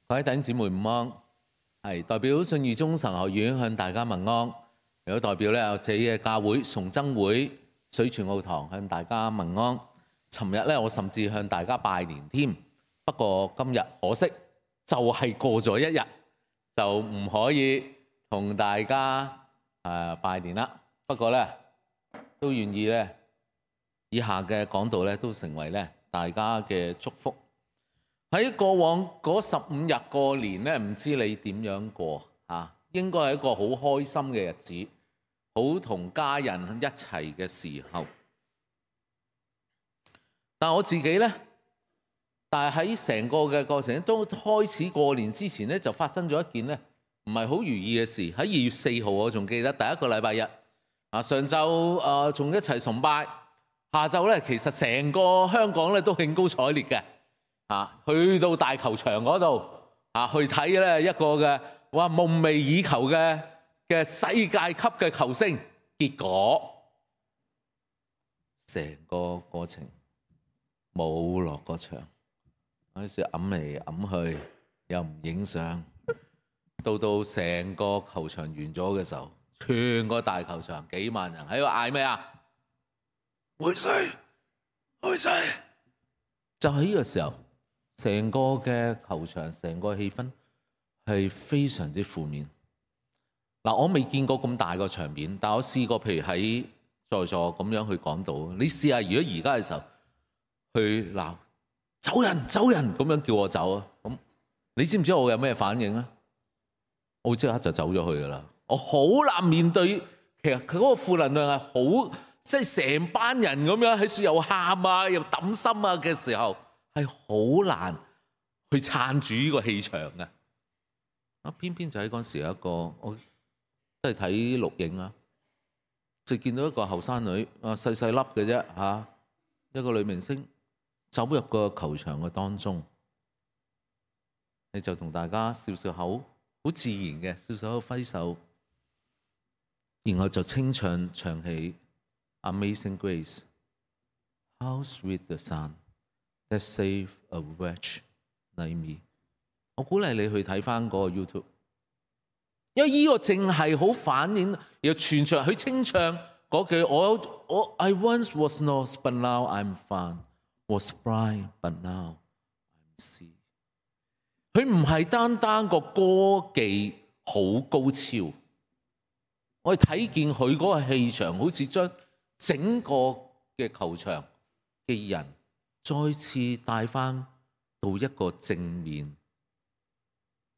各位弟兄姊妹午安，係代表信義中神學院向大家問安，亦都代表咧我自己嘅教會崇真會水泉澳堂向大家問安。尋日咧我甚至向大家拜年添，不過今日可惜就係過咗一日，就唔可以同大家拜年啦。不過咧都願意咧以下嘅講道咧都成為咧大家嘅祝福。喺過往嗰15日過年咧，唔知你點樣過啊？應該係一個好開心嘅日子，好同家人一齊嘅時候。但我自己咧，但係喺成個嘅過程都開始過年之前咧，就發生咗一件咧唔係好如意嘅事。喺2月4號，我仲記得第一個禮拜日啊，上晝仲一齊崇拜，下晝咧其實成個香港咧都興高采烈嘅。去到大球場嗰度去睇咧一個嘅夢寐以求嘅世界級嘅球星，結果成個過程冇落過場，嗰時揞嚟揞去又唔影相，到成個球場完咗嘅時候，全個大球場幾萬人喺度嗌咩啊？回水，回水！就喺呢個時候。成個嘅球場，成個氣氛係非常之負面。我未見過咁大個場面，但我試過，譬如喺在座咁樣去講到，你試下如果而家嘅時候去鬧走人走人咁樣叫我走啊，咁你知唔知我有咩反應啊？我即刻就走咗去噶啦。我好難面對，其實佢嗰個負能量係好，即係成班人咁樣喺處又喊啊又抌心啊嘅時候。係好難去撐住呢個氣場嘅，偏偏就喺嗰時有一個，我都係睇錄影啊，就見到一個後生女細細粒嘅啫一個女明星走入個球場嘅當中，你就同大家笑笑口，好自然嘅笑笑口揮手，然後就清唱起 Amazing Grace，How sweet the sound。That save a wretch like me。我鼓勵你去睇翻嗰個 YouTube， 因為呢個淨係好反映，又全場去清唱嗰句我 I once was lost but now I'm found, was blind but now I'm see。佢唔係單單個歌技好高超，我哋睇見佢嗰個氣場，好似將整個嘅球場嘅人再次帶返到一個正面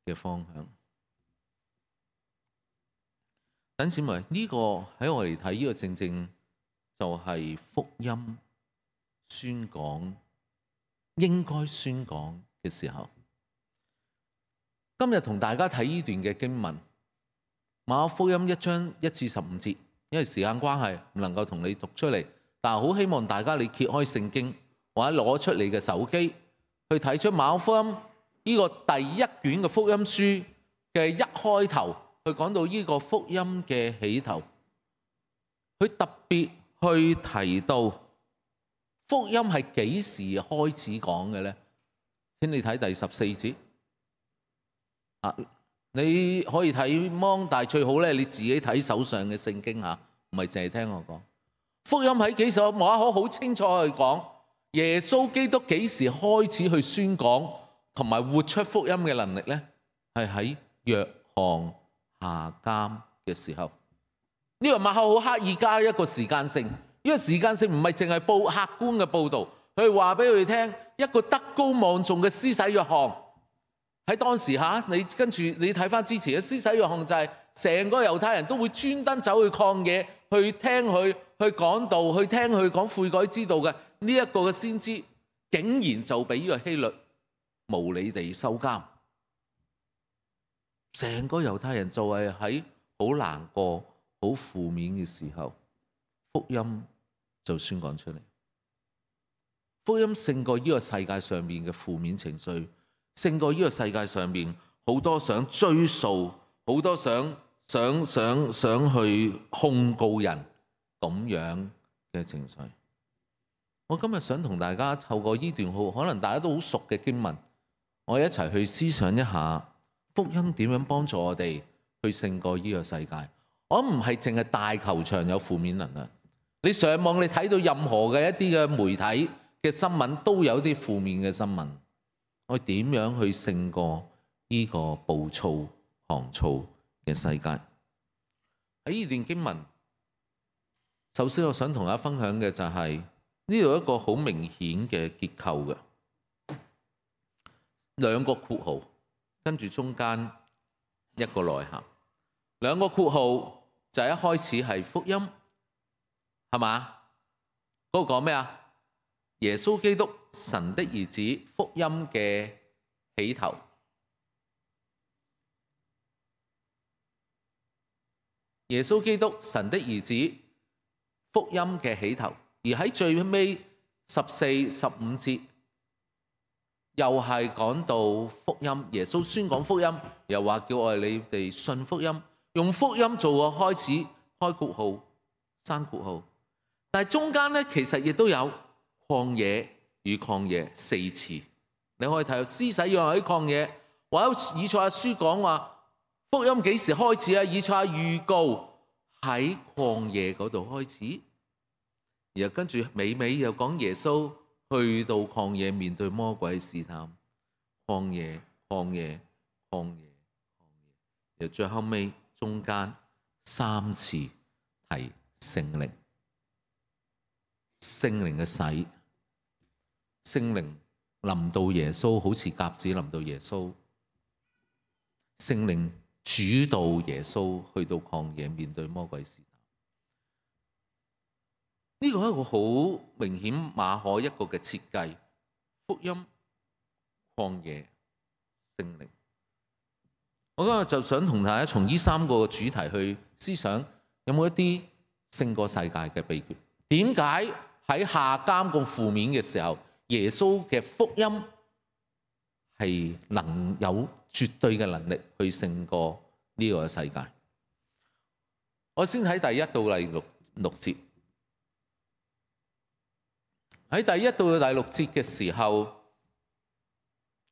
嘅方向。弟兄姊妹，呢個喺我嚟睇，呢個正正就係福音宣講應該宣講嘅時候。今日同大家睇呢段嘅經文，馬可福音1章1至15節，因為時間關係唔能夠同你讀出嚟，但係好希望大家你揭開聖經，或者攞出你嘅手機去睇出馬可福音呢個第一卷嘅福音書嘅一開頭，去講到呢個福音嘅起頭，佢特別去提到福音係幾時開始講嘅呢？請你睇第14節你可以睇芒，但係最好咧你自己睇手上嘅聖經唔係淨係聽我講。福音喺幾時？馬可好清楚去講。耶穌基督幾時開始去宣講同埋活出福音嘅能力呢？係喺約翰下監嘅時候。呢個馬可好刻意加一個時間性，呢個時間性唔係淨係報客觀嘅報導，佢話俾佢哋聽一個德高望重嘅施洗約翰喺當時你跟住你睇翻之前嘅施洗約翰就係成個猶太人都會專登走去曠野去聽佢去講道，去聽佢講悔改之道嘅。呢一個嘅先知竟然就俾呢個希律無理地收監，成個猶太人就係喺好難過、好負面嘅時候，福音就宣講出嚟。福音勝過呢個世界上面嘅負面情緒，勝過呢個世界上面好多想追訴、好多想去控告人咁樣嘅情緒。我今日想同大家透過呢段可能大家都好熟嘅經文，我一齊去思想一下福音點樣幫助我哋去勝過呢個世界。我唔係淨係大球場有負面能量，你上網你睇到任何嘅一啲嘅媒體嘅新聞都有啲負面嘅新聞。我點樣去勝過呢個暴躁狂躁嘅世界？喺呢段經文，首先我想同大家分享嘅就係呢度一個好明顯嘅結構嘅兩個括號，跟住中間一個內涵。兩個括號就係一開始係福音，係嘛？嗰個講咩啊？耶穌基督神的兒子，福音嘅起頭。耶穌基督神的兒子，福音嘅起頭。而喺最尾14、15節，又係講到福音。耶穌宣講福音，又話叫我哋你哋信福音，用福音做個開始，開括號，閂括號。但係中間咧，其實亦都有曠野與曠野4次。你可以睇到施洗約翰喺曠野，或者以賽亞書講話福音幾時開始啊？以賽亞預告喺曠野嗰度開始，然後跟住尾又講耶穌去到曠野面對魔鬼試探，曠野，然後最後尾中間3次提聖靈嘅洗，聖靈臨到耶穌，好似鴿子臨到耶穌，聖靈主導耶穌去到曠野面對魔鬼試探。呢個係一個好明顯馬可一個嘅設計，福音、曠野、聖靈。我今日就想同大家從呢3個主題去思想，有冇一啲勝過世界嘅秘訣？點解喺下監咁負面嘅時候，耶穌嘅福音係能有絕對嘅能力去勝過呢個世界？我先睇第1到第6節。喺第1到第6節嘅時候，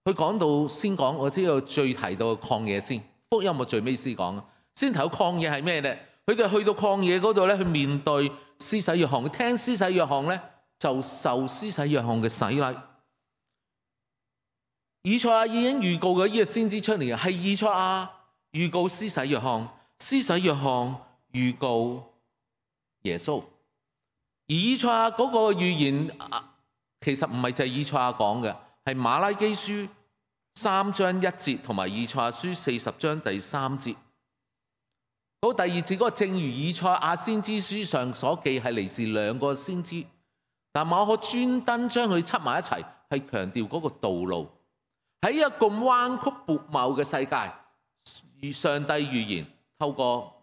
佢講到先講，我知道最提到嘅曠野先，福音我最尾先講。先提到曠野係咩咧？佢哋去到曠野嗰度咧，去面對施洗約翰，聽施洗約翰咧就受施洗約翰嘅洗禮。以賽亞已經預告嘅呢個先知出嚟，係以賽亞預告施洗約翰，施洗約翰預告耶穌。以賽亞嗰個預言其實唔係就係以賽亞講嘅，係馬拉基書3章1節同埋以賽亞書40章第3節。嗰第2節嗰個正如以賽亞先知書上所記，係嚟自2個先知，但馬可專登將佢輯埋一齊，係強調嗰個道路。喺一個彎曲悖謬嘅世界，上帝預言透過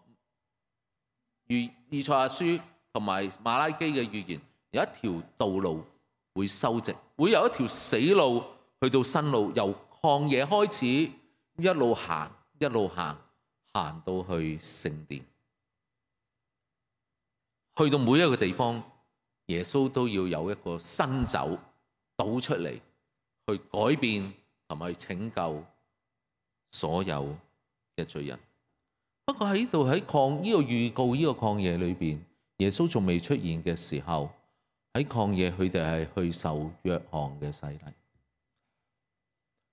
以賽亞書同埋馬拉基嘅預言，有一條道路會修直，會有一條死路去到新路，由曠野開始一路行行到去聖殿，去到每一個地方，耶穌都要有一個新酒倒出嚟，去改變同埋拯救所有嘅罪人。不過喺度喺呢個預告呢個曠野裏邊，耶穌仲未出現嘅時候，喺曠野佢哋係去受約翰嘅洗禮。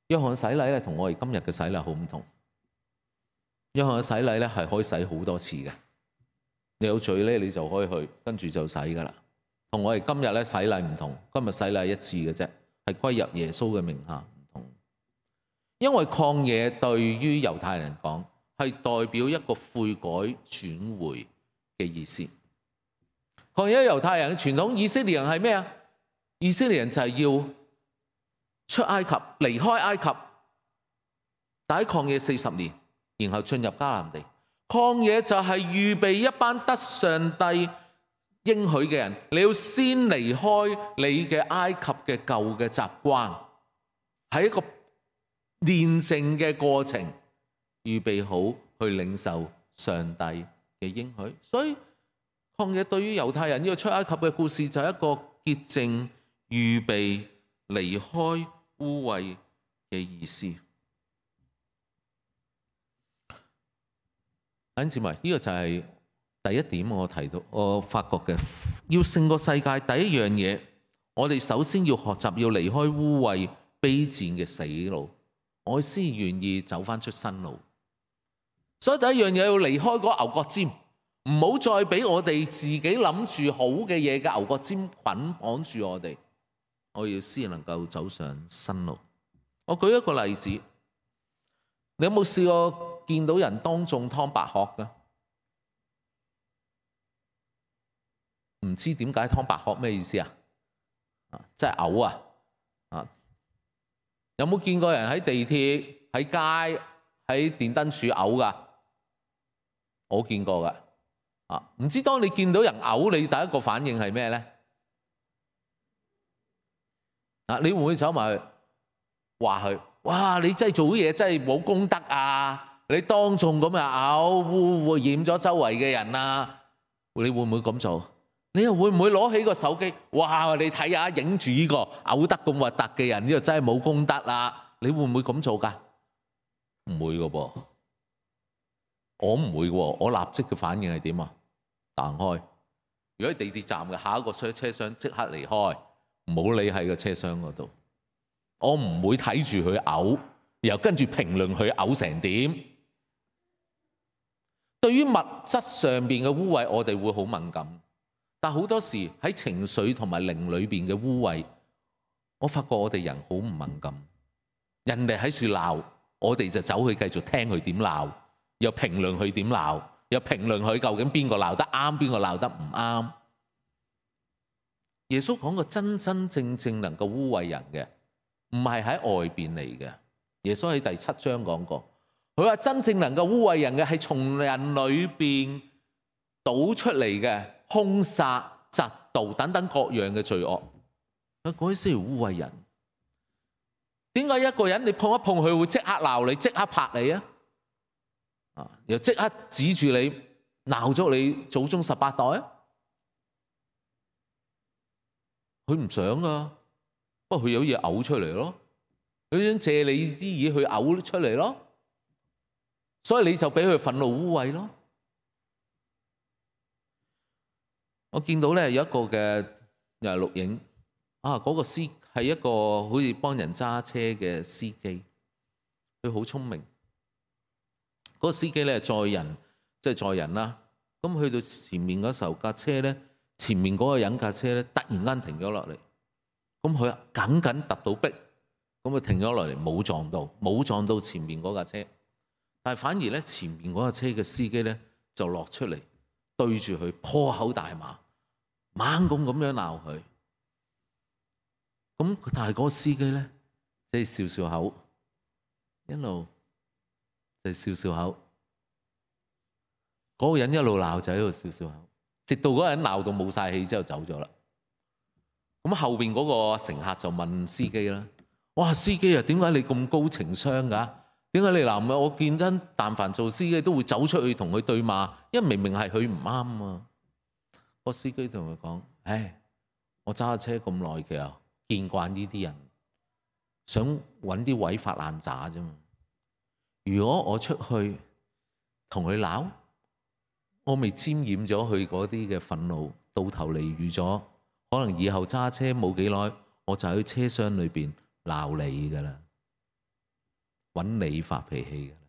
約翰洗禮咧同我哋今日嘅洗禮好唔同。約翰嘅洗禮咧係可以洗好多次嘅，你有罪咧你就可以去，跟住就洗噶啦。同我哋今日咧洗禮唔同，今日洗禮一次嘅啫，係歸入耶穌嘅名下唔同。因為曠野對於猶太人講係代表一個悔改轉回嘅意思。曠野猶太人嘅傳統，以色列人係咩啊？以色列人就係要出埃及，離開埃及，但喺曠野40年。然後進入迦南地，曠野就係預備一班得上帝應許嘅人，你要先離開你嘅埃及嘅舊嘅習慣，係一個煉淨嘅過程，預備好去領受上帝嘅應許。所以曠野對於猶太人呢個出埃及嘅故事就係一個潔淨、預備離開污穢嘅意思。弟兄姊妹，呢個就係第一點我提到，我發覺嘅要勝過世界第一樣嘢，我哋首先要學習要離開污穢卑賤嘅死路，我先願意走翻出新路。所以第一樣嘢要離開嗰牛角尖，唔好再俾我哋自己諗住好嘅嘢嘅牛角尖捆綁住我哋。我要先能夠走上新路。我舉一個例子，你有冇試過見到人當眾劏白鶴㗎？唔知點解劏白鶴咩意思啊？即係嘔啊！有冇見過人喺地鐵、喺街、喺電燈柱嘔㗎？我見過㗎。唔知當你見到人嘔，你第一個反應係咩咧？你會唔會走埋去話佢？哇！你真係做嘢真係冇公德啊！你當眾咁嘔，污染咗周圍嘅人啊！你會唔會咁做？你又會唔會攞起個手機？哇！你睇下影住呢個嘔得咁核突嘅人，呢個真係冇公德啦！你會唔會咁做㗎？唔會㗎噃，我唔會喎。我立即嘅反應係點啊？彈開。如果喺地鐵站嘅下一個車廂，即刻離開，唔好理喺個車廂嗰度。我唔會睇住佢嘔，然後跟住評論佢嘔成點。對於物質上邊嘅污穢，我哋會好敏感。但好多時喺情緒同埋靈裏邊嘅污穢，我發覺我哋人好唔敏感。人哋喺處鬧，我哋就走去繼續聽佢點鬧，又評論佢點鬧，又評論佢究竟邊個鬧得啱，邊個鬧得唔啱。耶穌講過真真正正能夠污穢人嘅，唔係喺外邊嚟嘅。耶穌喺第7章講過，佢話真正能夠污穢人嘅係從人裏邊倒出嚟嘅兇殺、嫉妒等等各樣嘅罪惡，嗰啲先係污穢人。點解一個人你碰一碰佢會即刻鬧你、即刻拍你啊？又即刻指住你鬧咗你祖宗18代啊？佢唔想噶，不過佢有嘢嘔出嚟咯，佢想借你啲嘢去嘔出嚟咯，所以你就俾佢憤怒污穢咯。我見到咧有一個嘅又係錄影嗰個司係一個好似幫人揸車嘅司機，佢好聰明。嗰個司機咧載人，即係載人啦。咁去到前面嗰時候，架車咧前面嗰個人架車咧突然間停咗落嚟，咁佢緊緊揼到壁，咁佢停咗落嚟冇撞到前面嗰架車，但係反而咧前面嗰架車嘅司機咧就落出嚟對住佢破口大罵，猛咁樣鬧佢。咁但係嗰個司機咧即係笑笑口，一路就笑笑口。嗰個人一路鬧就喺度笑笑口，直到嗰個人鬧到冇晒氣之後走咗啦。咁後邊嗰個乘客就問司機啦：哇，司機啊，點解你咁高情商㗎？點解你男嘅？我見真，但凡做司機都會走出去同佢對罵，因為明明係佢唔啱啊。個司機同佢講：唉，我揸車咁耐嘅，見慣呢啲人，想揾啲位發爛渣啫嘛。如果我出去同佢鬧，我未沾染咗佢嗰啲嘅憤怒，到頭嚟預咗，可能以後揸車冇幾耐，我就喺車廂裏邊鬧你噶啦，揾你發脾氣噶啦。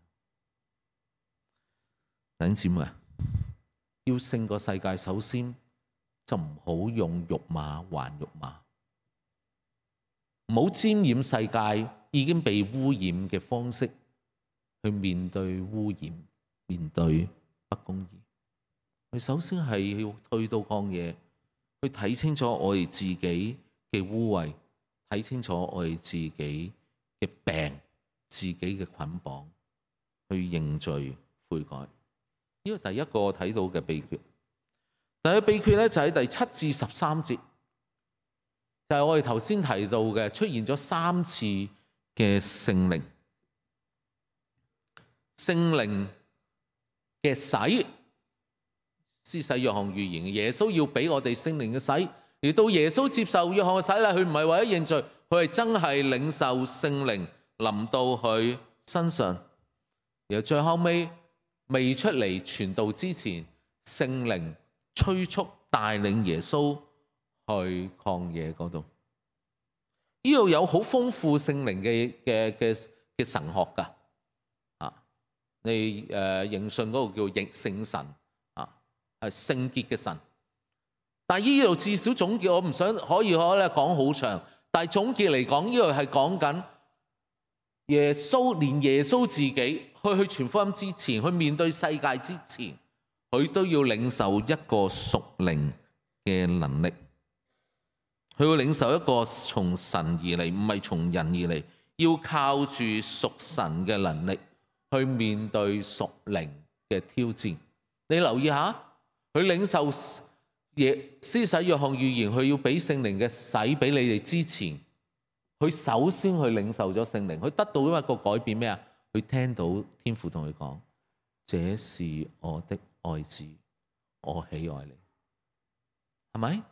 弟兄姊妹啊，要勝過世界，首先就唔好用辱罵還辱罵，唔好沾染世界已經被污染嘅方式去面對污染，面對不公義。佢首先係要退到曠野，去睇清楚我哋自己嘅污穢，睇清楚我哋自己嘅病、自己嘅捆綁，去認罪悔改。呢個第一個我睇到嘅秘訣。第一個秘訣咧就喺第7至13節，就係我哋頭先提到嘅出現咗3次嘅聖靈，聖靈嘅洗。施洗約翰預言耶穌要俾我哋聖靈嘅洗，而到耶穌接受約翰嘅洗禮，佢唔係為咗認罪，佢係真係領受聖靈臨到佢身上，然後最後尾未出嚟傳道之前，聖靈催促帶領耶穌去曠野嗰度。呢度有好豐富聖靈嘅神學㗎。你認信嗰個叫聖神係聖潔嘅神。但係呢度至少總結，我唔想可以講好長，但係總結嚟講，呢度係講緊耶穌，連耶穌自己去傳福音之前，去面對世界之前，佢都要領受一個屬靈嘅能力，佢要領受一個從神而嚟，唔係從人而嚟，要靠住屬神嘅能力去面對屬靈嘅挑戰。你留意下，佢領受施洗約翰預言，佢要俾聖靈嘅洗俾你哋之前，佢首先去領受咗聖靈，佢得到一個改變咩啊？佢聽到天父同佢講：這是我的愛子，我喜愛你，係咪？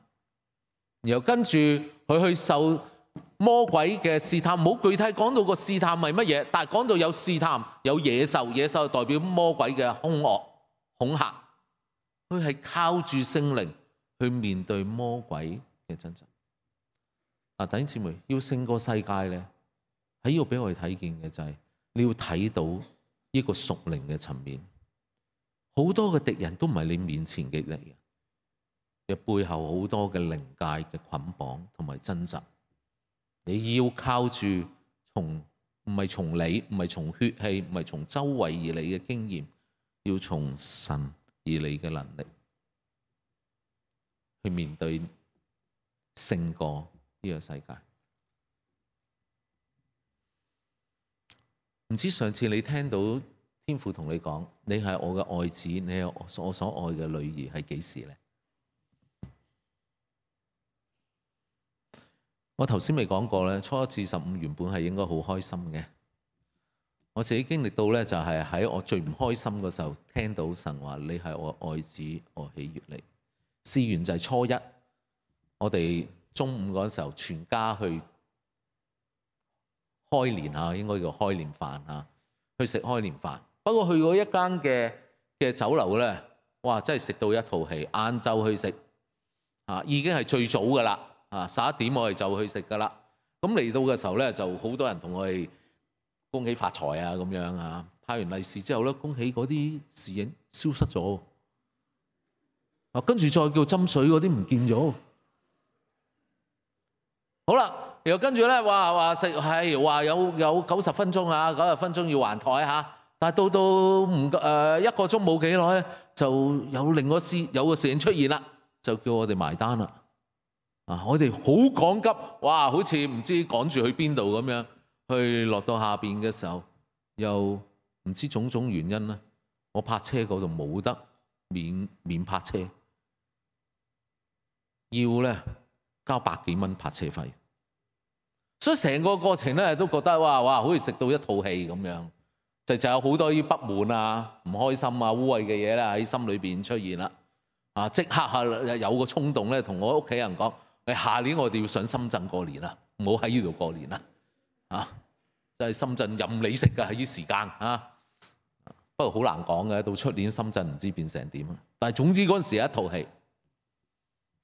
然後跟住佢去受魔鬼嘅試探，冇具體講到個試探係乜嘢，但係講到有試探，有野獸，野獸代表魔鬼嘅兇惡恐嚇，佢係靠住聖靈去面對魔鬼嘅掙扎。弟兄姊妹，要勝過世界咧，喺呢度俾我哋睇見嘅就係你要睇到呢個屬靈嘅層面，好多嘅敵人都唔係你面前嘅敵人，嘅背後好多嘅靈界嘅捆綁同埋掙扎。你要靠住唔係從你，唔係從血氣，唔係從周圍而嚟嘅經驗，要從神而嚟嘅能力去面對勝過呢個世界。唔知上次你聽到天父同你講，你係我嘅愛子，你係我所愛嘅女兒，係幾時呢？我頭先未講過咧，初一至15原本係應該好開心嘅。我自己經歷到咧，就係喺我最唔開心嘅時候，聽到神話你係我愛子，我喜悅你。試完就係初一，我哋中午嗰時候全家去開年啊，應該叫開年飯啊，去食開年飯。不過去過一間嘅酒樓咧，哇！真係食到一套戲。晏晝去食已經係最早噶啦。11點我哋就去食噶啦。咁嚟到嘅時候咧，就好多人同我哋恭喜發財啊咁樣啊。派完利是之後咧，恭喜嗰啲侍應消失咗。跟住再叫斟水嗰啲唔見咗。好啦，然後跟住咧話食係話有90分鐘啊，90分鐘要還台嚇。但係到1個鐘冇幾耐咧，就有個侍應出現啦，就叫我哋埋單啦。我哋好趕急，哇！好似唔知趕住去邊度咁樣，去落到下邊嘅時候，又唔知種種原因啦。我泊車嗰度冇得免泊車，要咧交100幾蚊泊車費。所以成個過程咧都覺得哇，好似食到一套戲咁樣，就有好多啲不滿啊、唔開心啊、污穢嘅嘢咧喺心裏邊出現啦。即刻有個衝動咧，同我屋企人講。下年我哋要上深圳過年啦，唔好喺呢度過年啦。就係深圳任你食㗎，喺呢時間不過好難講嘅，到出年深圳唔知變成點。但係總之嗰陣時係一套戲。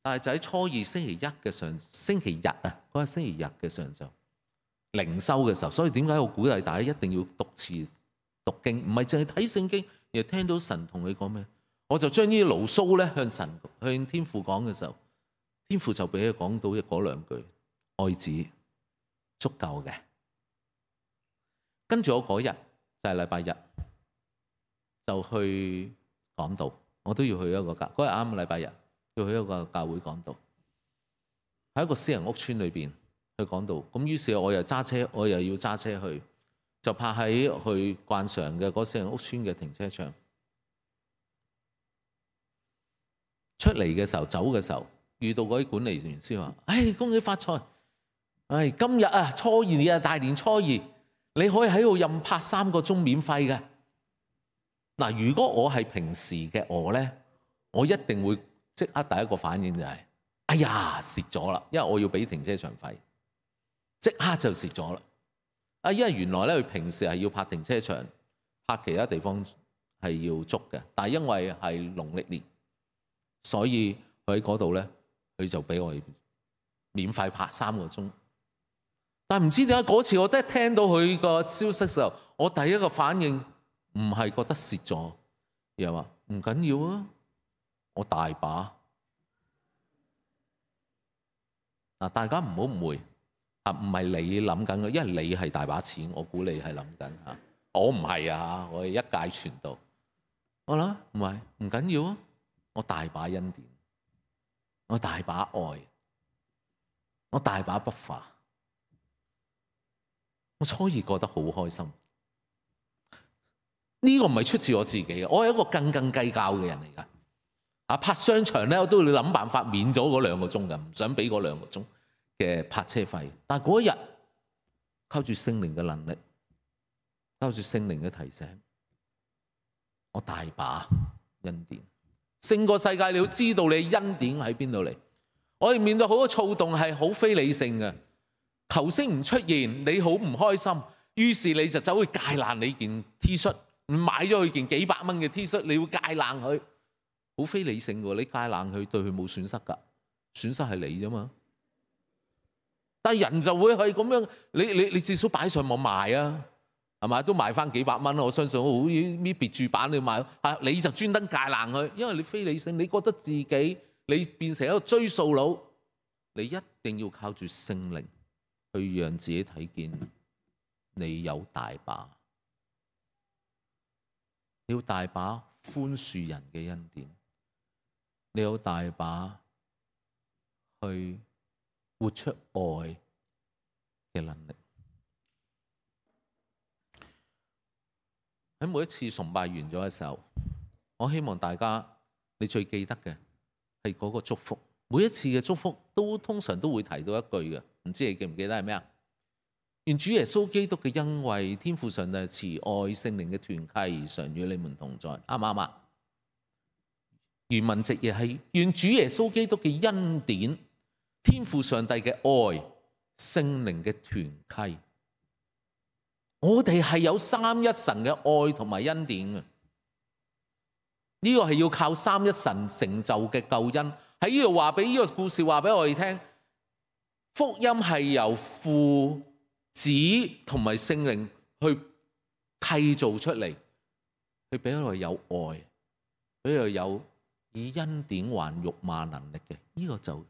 但係就喺初二星期日嘅上晝靈修嘅時候，所以點解我鼓勵大家一定要讀詞讀經，唔係淨係睇聖經，而係聽到神同你講咩，我就將呢啲牢騷咧向天父講嘅時候。天父就俾佢講到嗰2句，愛子足夠嘅。跟住我嗰日就係禮拜日，就去講道。我都要去一個嗰日啱禮拜日，要去一個教會講道，喺一個私人屋村裏邊去講道。咁於是我又揸車，我又要揸車去，就泊喺去慣常嘅嗰私人屋村嘅停車場。出嚟嘅時候，走嘅時候。遇到嗰啲管理員先話：恭喜發財！今日初二大年初二，你可以喺度任泊3個鐘免費嘅。嗱，如果我係平時嘅我咧，我一定會即刻第一個反應就係：哎呀，蝕咗啦！因為我要俾停車場費，即刻就蝕咗啦。因為原來咧佢平時係要泊停車場，泊其他地方係要捉嘅，但係因為係農曆年，所以佢喺嗰度咧，佢就俾我哋免費泊3個鐘。但係唔知點解嗰次我一聽到佢個消息嘅時候，我第一個反應唔係覺得蝕咗，而係話唔緊要啊，我大把。嗱，大家唔好誤會啊，唔係你諗緊嘅，因為你係大把錢，我估你係諗緊嚇，我唔係啊，我係一介傳道。我諗唔係，唔緊要啊，我大把恩典，我大把愛，我大把不化。我初二覺得好開心，呢個唔係出自我自己嘅，我係一個斤斤計較嘅人嚟㗎。泊商場咧，我都要諗辦法免咗嗰2個鐘㗎，唔想俾嗰2個鐘嘅泊車費。但係嗰一日靠住聖靈嘅能力，靠住聖靈嘅提醒，我大把恩典，勝過世界。你要知道你恩典喺邊度嚟。我哋面對好多躁動係好非理性嘅。球星唔出現，你好唔開心，於是你就走去戒爛你件 T 恤，買咗佢件幾百蚊嘅 T 恤，你要戒爛佢，好非理性喎！你戒爛佢對佢冇損失㗎，損失係你啫嘛。但係人就會係咁樣，你至少擺上網賣啊，係咪？都賣翻幾百蚊，我相信好似搣別注版你賣，你就專登戒爛佢，因為你非理性，你覺得自己你變成一個追數佬，你一定要靠住聖靈去讓自己睇見你有大把，你有大把寬恕人嘅恩典，你有大把去活出愛嘅能力。喺每一次崇拜完咗嘅時候，我希望大家你最記得嘅係嗰個祝福。每一次嘅祝福通常都會提到一句嘅，唔知你記唔記得係咩啊？願主耶穌基督嘅恩惠、天父上帝嘅慈愛、聖靈嘅團契常與你們同在，啱唔啱啊？原文直譯係願主耶穌基督嘅恩典、天父上帝嘅愛、聖靈嘅團契。我哋係有三一神嘅愛同埋恩典嘅，呢個係要靠三一神成就嘅救恩。喺呢度話俾呢個故事話俾我哋聽，福音係由父、子同埋聖靈去締造出嚟，去俾我哋有愛，俾我哋有以恩典還辱罵能力嘅，呢個就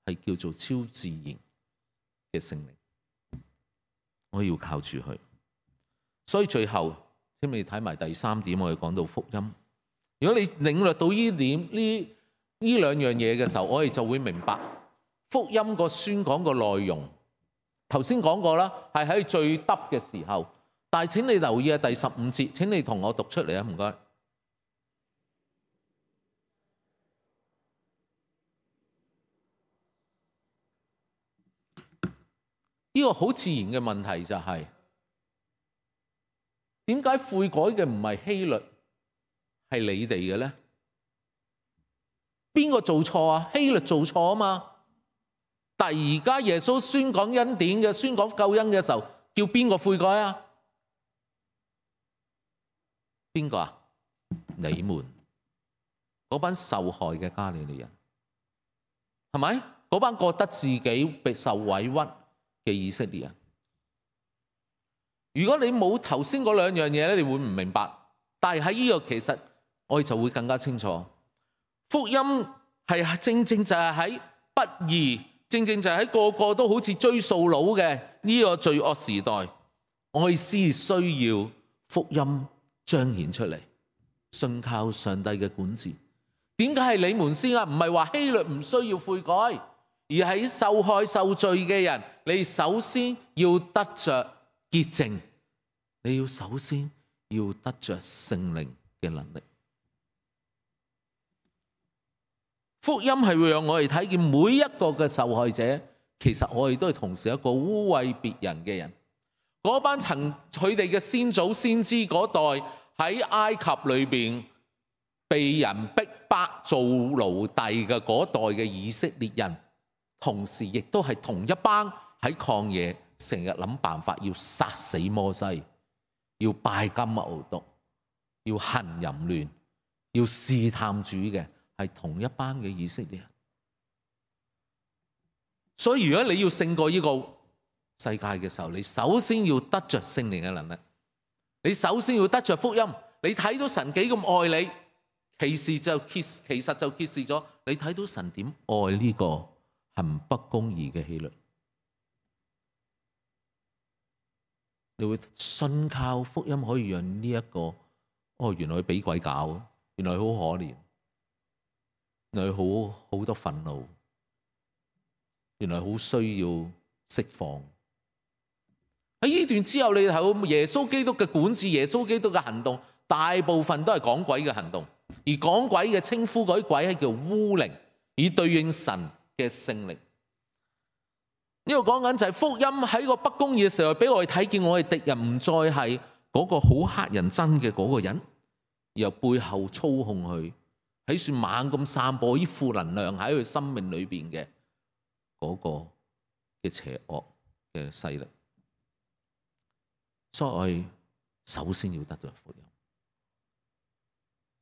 係叫做超自然嘅聖靈。我要靠住佢，所以最後請你睇埋第3點，我哋講到福音。如果你領略到呢點呢兩樣嘢嘅時候，我哋就會明白福音個宣講個內容。頭先講過啦，係喺最得嘅時候，但係請你留意啊，第15節，請你同我讀出嚟啊，唔該。呢個好自然嘅問題就係點解悔改嘅唔係希律，係你哋嘅咧？邊個做錯啊？希律做錯啊嘛！但係而家耶穌宣講恩典嘅、宣講救恩嘅時候，叫邊個悔改啊？邊個啊？你們嗰班受害嘅加利利人，係咪？嗰班覺得自己被受委屈嘅以色列人。如果你冇頭先嗰兩樣嘢咧，你會唔明白。但係喺呢個其實我哋就會更加清楚。福音係正正就係喺不義，正正就係喺個個都好似追數佬嘅呢個罪惡時代，我哋先需要福音彰顯出嚟，信靠上帝嘅管治。點解係你們先啊？唔係話希律唔需要悔改，而係受害受罪嘅人，你首先要得着潔淨，你要首先要得着聖靈嘅能力。福音係會讓我哋睇見每一個嘅受害者，其實我哋都係同時一個污穢別人嘅人。嗰班佢哋嘅先祖先知嗰代喺埃及裏邊被人逼迫做奴隸嘅嗰代嘅以色列人，同時亦都係同一班喺曠野成日諗辦法要殺死摩西，要拜金牛犢，要行淫亂，要試探主嘅，係同一班嘅以色列人。所以如果你要勝過呢個世界嘅時候，你首先要得着聖靈嘅能力，你首先要得着福音。你睇到神幾咁愛你，其實就揭示咗你睇到神點愛呢個行不公義嘅希律。你會信靠福音可以讓呢一個，原來佢俾鬼搞，原來佢好可憐，原來佢好多憤怒，原來好需要釋放。喺呢段之後，你睇到耶穌基督嘅管治，耶穌基督嘅行動，大部分都係趕鬼嘅行動，而趕鬼嘅稱呼嗰啲鬼係叫污靈，以對應神嘅聖靈。呢個講緊就係福音喺個不公義嘅時候，俾我哋睇見我哋敵人唔再係嗰個好乞人憎嘅嗰個人，而由背後操控佢，喺算猛咁散播啲負能量喺佢生命裏邊嘅嗰個嘅邪惡嘅勢力。所以我哋首先要得到福音，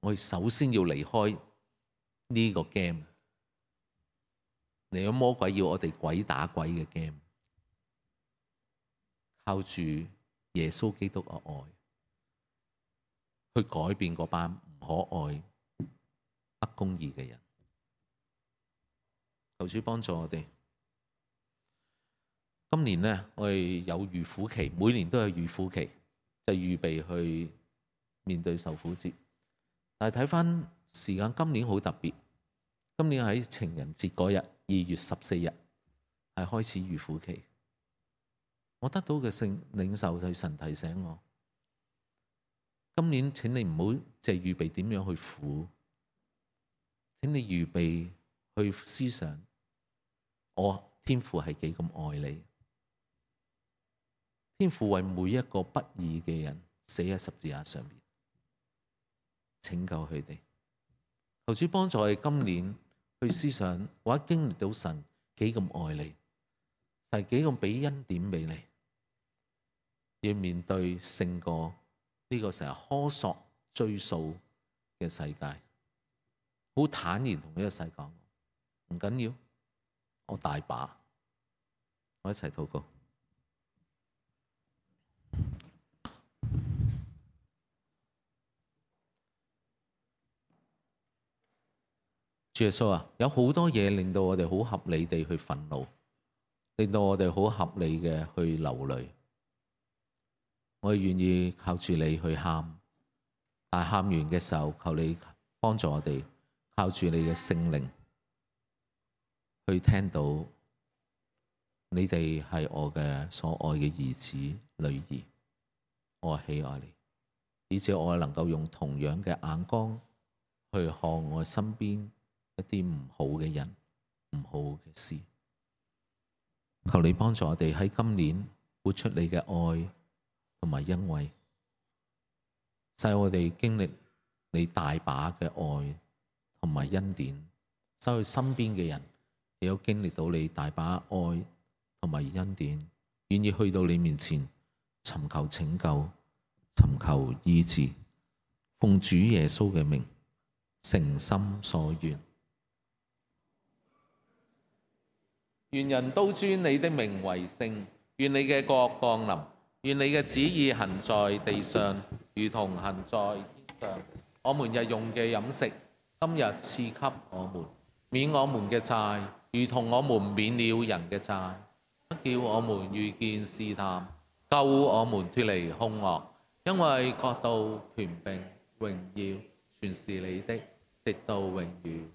我哋首先要離開呢個 game。嚟咗魔鬼要我哋鬼打鬼嘅 game， 靠住耶穌基督嘅愛去改變嗰班唔可愛、不公義嘅人。求主幫助我哋。今年呢，我哋有預苦期，每年都有預苦期，就預備去面對受苦節。但係睇返時間，今年好特別。今年喺情人節嗰日，2月14日係開始預苦期。我得到嘅聖領受就係神提醒我，今年請你唔好淨係預備點樣去苦，請你預備去思想我天父係幾咁愛你。天父為每一個不義嘅人死喺十字架上面，拯救佢哋。求主幫助我哋今年去思想，或者經歷到神幾咁愛你，係幾咁俾恩典俾你，要面對勝過呢個成日苛索追數嘅世界，好坦然同呢個世界講，唔緊要，我大把，我一齊禱告。主耶穌啊，有好多嘢令到我哋好合理地去憤怒，令到我哋好合理嘅去流淚。我哋願意靠住你去喊，但係喊完嘅時候，求你幫助我哋靠住你嘅聖靈去聽到你哋係我嘅所愛嘅兒子女兒，我喜愛你，以至我能夠用同樣嘅眼光去看我身邊一啲唔好嘅人、唔好嘅事。求你幫助我哋喺今年活出你嘅愛同埋恩惠，使我哋經歷你大把嘅愛同埋恩典，使佢身邊嘅人亦有經歷到你大把愛同埋恩典，願意去到你面前尋求拯救、尋求醫治，奉主耶穌嘅名，誠心所願。願人都尊你的名為聖，願你嘅國降臨，願你嘅旨意行在地上，如同行在天上。我們日用嘅飲食，今日賜給我們，免我們嘅債，如同我們免了人嘅債，不叫我們遇見試探，救我們脫離兇惡，因為國度、權柄、榮耀，全是你的，直到永遠。